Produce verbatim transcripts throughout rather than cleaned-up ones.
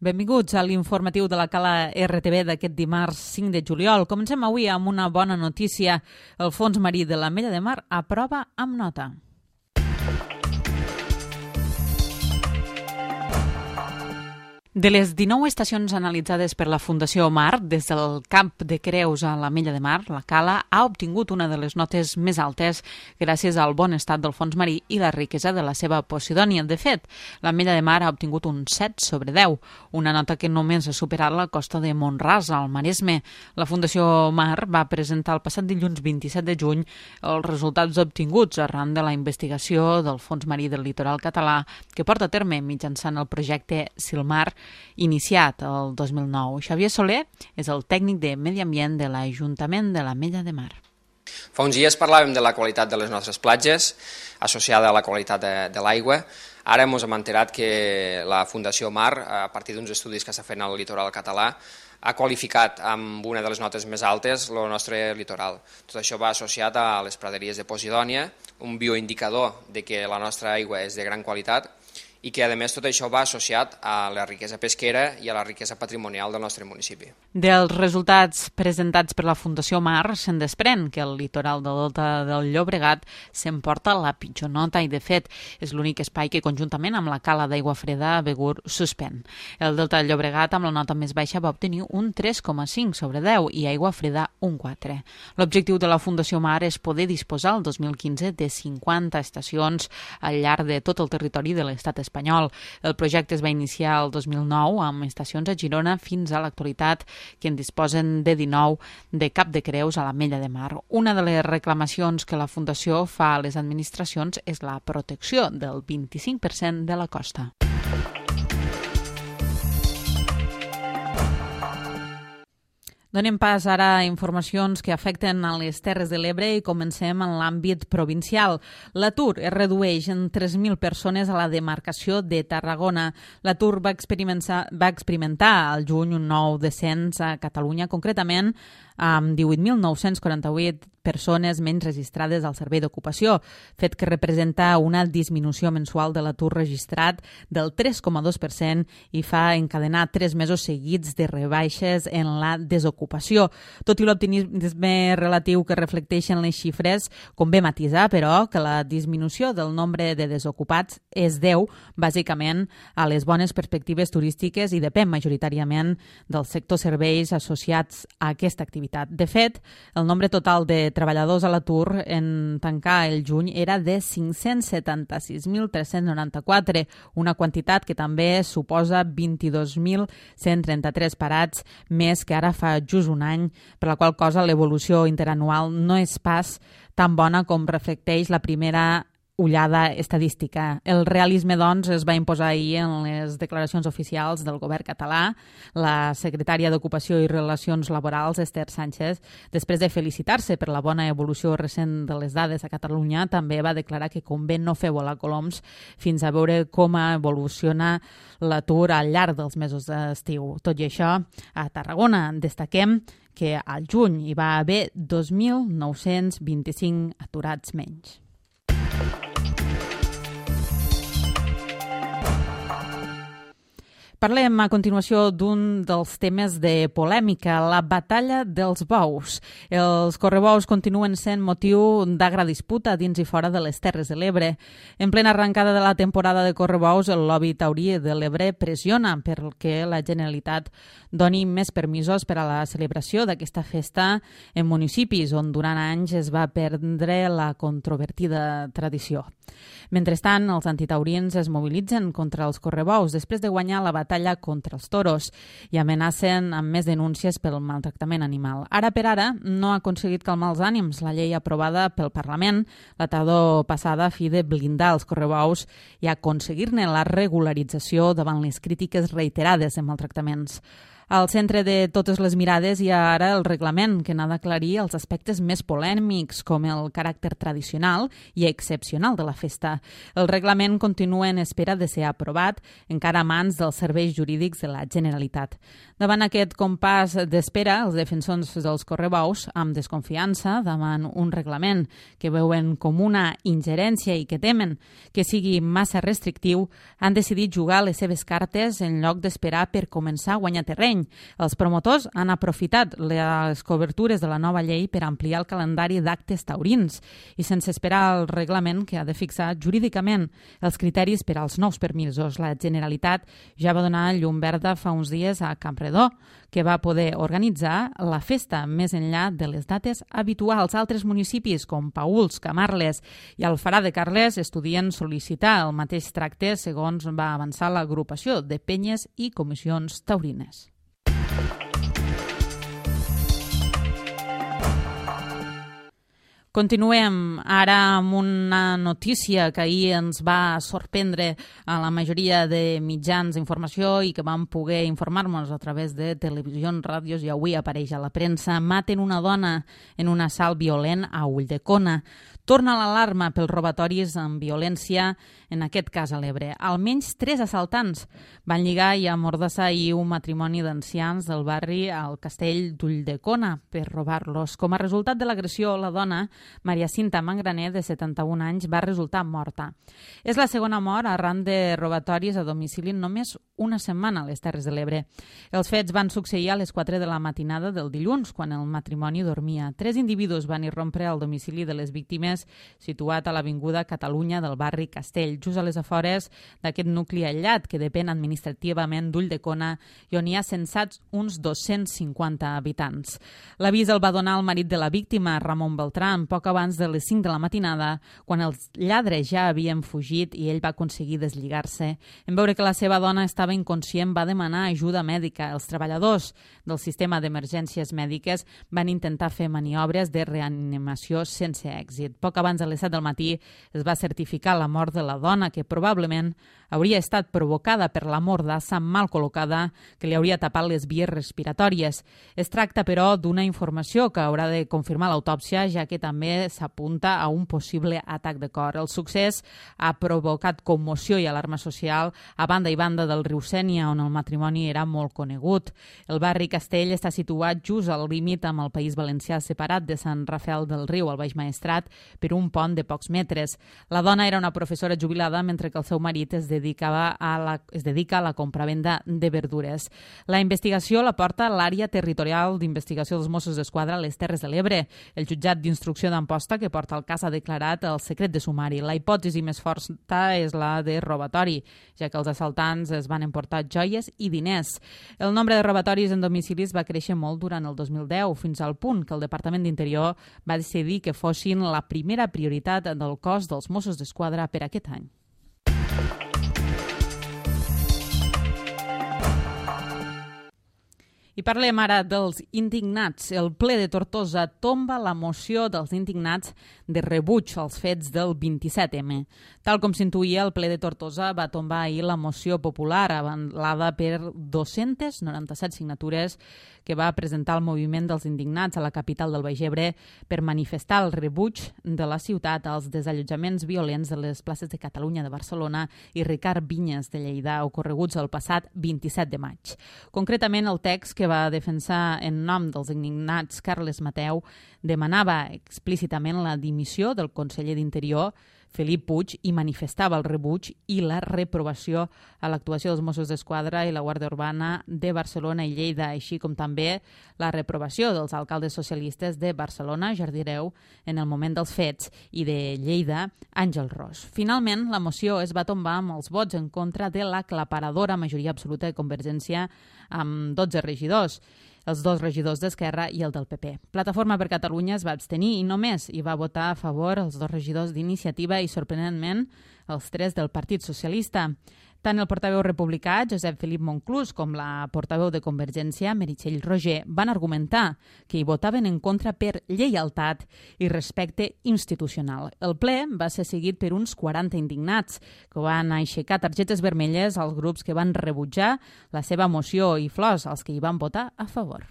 Benvinguts a l'informatiu de la Cala R T B d'aquest dimarts cinc de juliol. Comencem avui amb una bona notícia. El Fons Marí de l'Ametlla de Mar aprova amb nota. De les dinou estacions analitzades per la Fundació Mar, des del Camp de Creus a l'Ametlla de Mar, la Cala ha obtingut una de les notes més altes gràcies al bon estat del fons marí i la riquesa de la seva posidònia. De fet, l'Ametlla de Mar ha obtingut un set sobre deu, una nota que només ha superat la costa de Mont-ras, al Maresme. La Fundació Mar va presentar el passat dilluns vint-i-set de juny els resultats obtinguts arran de la investigació del Fons Marí del Litoral Català que porta a terme mitjançant el projecte Silmar, iniciat el dos mil nou. Xavier Soler és el tècnic de Medi Ambient de l'Ajuntament de l'Ametlla de Mar. Fa uns dies parlàvem de la qualitat de les nostres platges, associada a la qualitat de, de l'aigua. Ara ens hem enterat que la Fundació Mar, a partir d'uns estudis que s'ha fet al litoral català, ha qualificat amb una de les notes més altes el nostre litoral. Tot això va associat a les praderies de Posidònia, un bioindicador de que la nostra aigua és de gran qualitat, i que, a més, tot això va associat a la riquesa pesquera i a la riquesa patrimonial del nostre municipi. Dels resultats presentats per la Fundació Mar se'n desprèn que el litoral del Delta del Llobregat s'emporta la pitjor nota i, de fet, és l'únic espai que, conjuntament amb la Cala d'Aigua Freda, Begur suspèn. El Delta del Llobregat, amb la nota més baixa, va obtenir un tres coma cinc sobre deu i Aigua Freda un quatre. L'objectiu de la Fundació Mar és poder disposar el dos mil quinze de cinquanta estacions al llarg de tot el territori de l'estat espanyol. espanyol. El projecte es va iniciar el dos mil nou amb estacions a Girona fins a l'actualitat, que en disposen de dinou de Cap de Creus a l'Ametlla de Mar. Una de les reclamacions que la Fundació fa a les administracions és la protecció del vint-i-cinc per cent de la costa. Donem pas ara a informacions que afecten a les Terres de l'Ebre i comencem en l'àmbit provincial. L'atur es redueix en tres mil persones a la demarcació de Tarragona. L'atur va experimentar, va experimentar al juny un nou descens a Catalunya, concretament amb divuit mil nou-cents quaranta-vuit persones menys registrades al Servei d'Ocupació, fet que representa una disminució mensual de l'atur registrat del tres coma dos per cent i fa encadenar tres mesos seguits de rebaixes en la desocupació. Tot i l'optimisme relatiu que reflecteixen les xifres, convé matisar, però, que la disminució del nombre de desocupats es deu, bàsicament, a les bones perspectives turístiques i depèn majoritàriament del sector serveis associats a aquesta activitat. De fet, el nombre total de treballadors a l'atur en tancar el juny era de cinc-cents setanta-sis mil tres-cents noranta-quatre, una quantitat que també suposa vint-i-dos mil cent trenta-tres parats més que ara fa just un any, per la qual cosa l'evolució interanual no és pas tan bona com reflecteix la primera ullada estadística. El realisme, doncs, es va imposar ahir en les declaracions oficials del govern català. La secretària d'Ocupació i Relacions Laborals, Esther Sánchez, després de felicitar-se per la bona evolució recent de les dades a Catalunya, també va declarar que convé no fer volar coloms fins a veure com evoluciona l'atur al llarg dels mesos d'estiu. Tot i això, a Tarragona destaquem que al juny hi va haver dos mil nou-cents vint-i-cinc aturats menys. Parlem a continuació d'un dels temes de polèmica, la batalla dels bous. Els correbous continuen sent motiu d'agra disputa dins i fora de les Terres de l'Ebre. En plena arrencada de la temporada de correbous, el lobby taurí de l'Ebre pressiona perquè la Generalitat doni més permisos per a la celebració d'aquesta festa en municipis on durant anys es va perdre la controvertida tradició. Mentrestant, els antitaurins es mobilitzen contra els correbous després de guanyar la batalla contra els toros i amenacen amb més denúncies pel maltractament animal. Ara per ara no ha aconseguit calmar els ànims la llei aprovada pel Parlament la tardor passada a fi de blindar els correbous i aconseguir-ne la regularització davant les crítiques reiterades de maltractaments. Al centre de totes les mirades hi ha ara el reglament, que n'ha d'aclarir els aspectes més polèmics, com el caràcter tradicional i excepcional de la festa. El reglament continua en espera de ser aprovat, encara a mans dels serveis jurídics de la Generalitat. Davant aquest compàs d'espera, els defensors dels correbous, amb desconfiança davant un reglament que veuen com una ingerència i que temen que sigui massa restrictiu, han decidit jugar les seves cartes en lloc d'esperar per començar a guanyar terreny. Els promotors han aprofitat les cobertures de la nova llei per ampliar el calendari d'actes taurins i sense esperar el reglament que ha de fixar jurídicament els criteris per als nous permisos. La Generalitat ja va donar llum verda fa uns dies a Campredó, que va poder organitzar la festa més enllà de les dates habituals. Altres municipis com Paüls, Camarles i Alfarà de Carles estudien sol·licitar el mateix tracte segons va avançar l'agrupació de penyes i comissions taurines. Continuem ara amb una notícia que ahir ens va sorprendre a la majoria de mitjans d'informació i que vam poder informar-nos a través de televisions, ràdios i avui apareix a la premsa. Maten una dona en un assalt violent a Ulldecona. Torna l'alarma pels robatoris amb violència, en aquest cas a l'Ebre. Almenys tres assaltants van lligar i amordassar ahir un matrimoni d'ancians del barri al castell d'Ulldecona per robar-los. Com a resultat de l'agressió, la dona, Maria Cinta Mangraner, de setanta-un anys, va resultar morta. És la segona mort arran de robatoris a domicili en només una setmana a les Terres de l'Ebre. Els fets van succeir a les quatre de la matinada del dilluns, quan el matrimoni dormia. Tres individus van irrompre al domicili de les víctimes situat a l'avinguda Catalunya del barri Castell, just a les afores d'aquest nucli aïllat que depèn administrativament d'Ulldecona i on hi ha censats uns dos-cents cinquanta habitants. L'avís el va donar el marit de la víctima, Ramon Beltrán, poc abans de les cinc de la matinada, quan els lladres ja havien fugit i ell va aconseguir deslligar-se. En veure que la seva dona estava inconscient, va demanar ajuda mèdica. Els treballadors del sistema d'emergències mèdiques van intentar fer maniobres de reanimació sense èxit. Poc abans de les set del matí es va certificar la mort de la dona, que probablement hauria estat provocada per la mordassa mal col·locada que li hauria tapat les vies respiratòries. Es tracta, però, d'una informació que haurà de confirmar l'autòpsia, ja que també s'apunta a un possible atac de cor. El succés ha provocat commoció i alarma social a banda i banda del riu Sénia, on el matrimoni era molt conegut. El barri Castell està situat just al límit amb el País Valencià, separat de Sant Rafel del Riu, al Baix Maestrat, per un pont de pocs metres. La dona era una professora jubilada, mentre que el seu marit es dedicava a la, es dedica a la compravenda de verdures. La investigació la porta l'àrea territorial d'investigació dels Mossos d'Esquadra a les Terres de l'Ebre. El jutjat d'instrucció d'Amposta, que porta el cas, ha declarat el secret de sumari. La hipòtesi més forta és la de robatori, ja que els assaltants es van emportar joies i diners. El nombre de robatoris en domicilis va créixer molt durant el dos mil deu, fins al punt que el Departament d'Interior va decidir que fossin la primera prioritat del cos dels Mossos d'Esquadra per aquest any. I parlem ara dels indignats. El ple de Tortosa tomba la moció dels indignats de rebuig als fets del vint-i-set eme. Tal com s'intuïa, el ple de Tortosa va tombar ahir la moció popular avalada per dos-centes noranta-set signatures que va presentar el moviment dels indignats a la capital del Baix Ebre per manifestar el rebuig de la ciutat als desallotjaments violents de les places de Catalunya de Barcelona i Ricard Vinyes de Lleida ocorreguts el passat vint-i-set de maig. Concretament, el text que va defensar en nom dels indignats Carles Mateu demanava explícitament la dimissió del conseller d'Interior Felip Puig i manifestava el rebuig i la reprovació a l'actuació dels Mossos d'Esquadra i la Guàrdia Urbana de Barcelona i Lleida, així com també la reprovació dels alcaldes socialistes de Barcelona, Jardireu, en el moment dels fets, i de Lleida, Àngel Ros. Finalment, la moció es va tombar amb els vots en contra de l'aclaparadora majoria absoluta de Convergència amb dotze regidors, els dos regidors d'Esquerra i el del P P. Plataforma per Catalunya es va abstenir i només hi va votar a favor els dos regidors d'Iniciativa i, sorprenentment, els tres del Partit Socialista. Tant el portaveu republicà, Josep Felip Monclús, com la portaveu de Convergència, Meritxell Roger, van argumentar que hi votaven en contra per lleialtat i respecte institucional. El ple va ser seguit per uns quaranta indignats, que van aixecar targetes vermelles als grups que van rebutjar la seva moció i flors als que hi van votar a favor.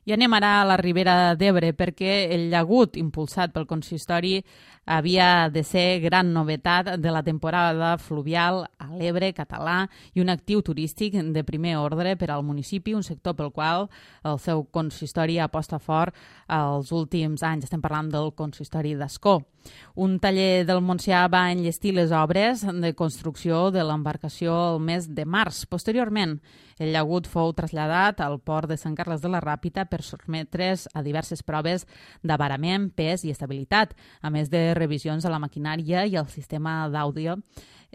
I anem ara a la Ribera d'Ebre perquè el llagut impulsat pel consistori havia de ser gran novetat de la temporada fluvial a l'Ebre català i un actiu turístic de primer ordre per al municipi, un sector pel qual el seu consistori aposta fort els últims anys. Estem parlant del consistori d'Ascó. Un taller del Montsià va enllestir les obres de construcció de l'embarcació el mes de març. Posteriorment, el llagut fou traslladat al port de Sant Carles de la Ràpita per sotmetre's a diverses proves d'avarament, pes i estabilitat, a més de revisions a la maquinària i al sistema d'àudio,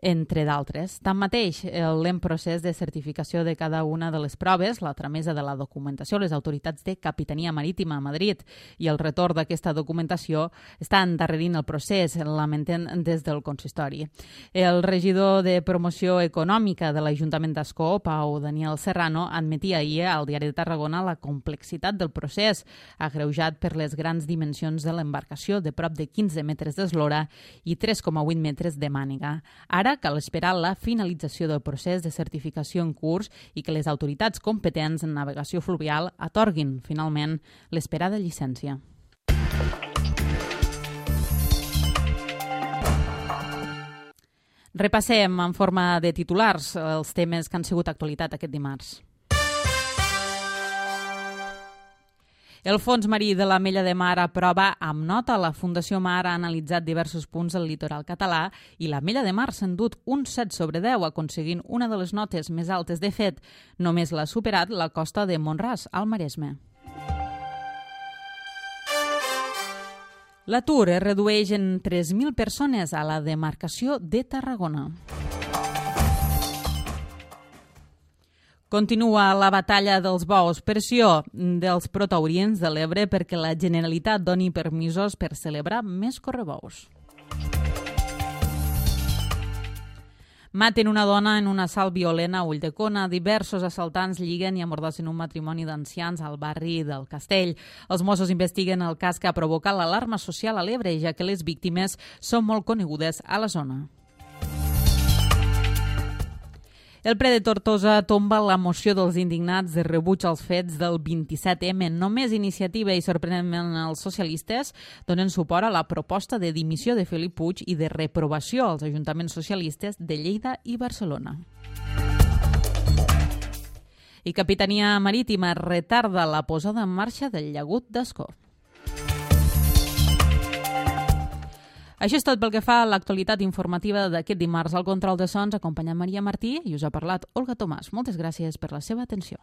entre d'altres. Tanmateix, el lent procés de certificació de cada una de les proves, la tramesa de la documentació a les autoritats de Capitania Marítima a Madrid i el retorn d'aquesta documentació està endarrerint el procés, lamenten des del consistori. El regidor de Promoció Econòmica de l'Ajuntament d'Ascó, Pau Daniel Serrano, admetia ahir al Diari de Tarragona la complexitat del procés, agreujat per les grans dimensions de l'embarcació de prop de quinze metres d'eslora i tres coma vuit metres de màniga. Ara cal esperar la finalització del procés de certificació en curs i que les autoritats competents en navegació fluvial atorguin, finalment, l'esperada llicència. Repassem en forma de titulars els temes que han sigut actualitat aquest dimarts. El Fons Marí de l'Ametlla de Mar aprova amb nota. La Fundació Mar ha analitzat diversos punts del litoral català i l'Ametlla de Mar s'ha endut un set sobre deu, aconseguint una de les notes més altes. De fet, només l'ha superat la costa de Mont-ras, al Maresme. L'atur es redueix en tres mil persones a la demarcació de Tarragona. Continua la batalla dels bous, pressió dels protauriens de l'Ebre perquè la Generalitat doni permisos per celebrar més correbous. Maten una dona en un assalt violent a Ulldecona. Diversos assaltants lliguen i amordassen un matrimoni d'ancians al barri del Castell. Els Mossos investiguen el cas que ha provocat l'alarma social a l'Ebre, ja que les víctimes són molt conegudes a la zona. El ple de Tortosa tomba la moció dels indignats de rebuig als fets del vint-i-set eme. Només Iniciativa i, sorprenentment, els socialistes donen suport a la proposta de dimissió de Felip Puig i de reprovació als ajuntaments socialistes de Lleida i Barcelona. I Capitania Marítima retarda la posada en marxa del llagut d'Ascó. Això és tot pel que fa a l'actualitat informativa d'aquest dimarts. Al control de sons acompanya Maria Martí i us ha parlat Olga Tomàs. Moltes gràcies per la seva atenció.